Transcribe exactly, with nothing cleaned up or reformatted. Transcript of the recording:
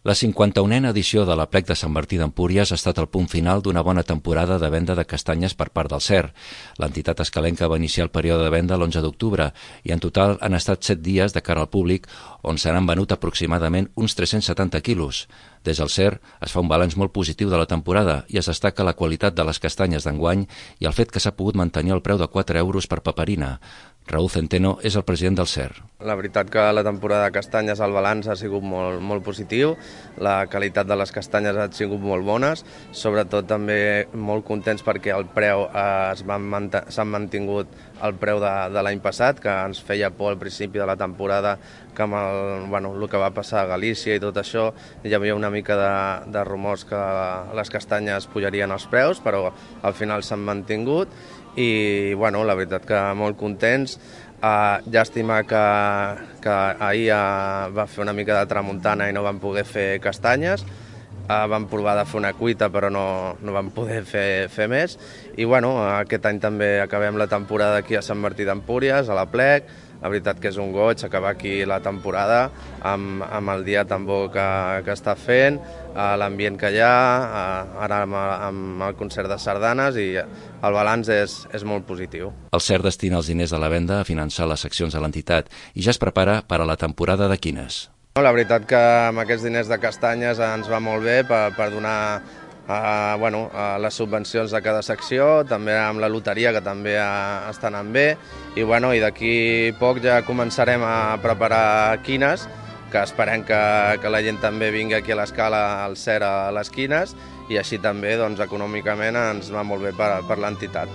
La cinquanta-unena edició de l'Aplec de Sant Martí d'Empúries ha estat el punt final d'una bona temporada de venda de castanyes per part del C E R. L'entitat escalenca va iniciar el període de venda l'onze d'octubre i en total han estat set dies de cara al públic on se n'han venut aproximadament uns tres-cents setanta quilos. Des del C E R es fa un balanç molt positiu de la temporada i es destaca la qualitat de les castanyes d'enguany i el fet que s'ha pogut mantenir el preu de quatre euros per paperina. Raúl Centeno és el president del C E R. La veritat que la temporada de castanyes, el balanç ha sigut molt, molt positiu, la qualitat de les castanyes ha sigut molt bones, sobretot també molt contents perquè el preu eh, s'ha mantingut el preu de, de l'any passat, que ens feia por al principi de la temporada que amb el, bueno, el que va passar a Galícia i tot això hi havia una mica de, de rumors que les castanyes pujarien els preus, però al final s'han mantingut i bueno, la veritat que molt contents. Uh, llàstima que, que ahir uh, va fer una mica de tramuntana i no vam poder fer castanyes. Uh, vam provar de fer una cuita però no, no vam poder fer, fer més. I bueno, aquest any també acabem la temporada aquí a Sant Martí d'Empúries, a l'Aplec. La veritat que és un goig acabar aquí la temporada amb, amb el dia tan bo que, que està fent, l'ambient que hi ha, ara amb, amb el concert de sardanes i el balanç és, és molt positiu. El C E R destina els diners de la venda a finançar les seccions de l'entitat i ja es prepara per a la temporada de quines. La veritat que amb aquests diners de castanyes ens va molt bé per, per donar Uh, bueno, uh, les subvencions de cada secció, també amb la loteria que també uh, està anant bé i, bueno, i d'aquí poc ja començarem a preparar quines, que esperem que, que la gent també vingui aquí a l'escala al C E R a les quines i així també doncs, econòmicament ens va molt bé per, per l'entitat.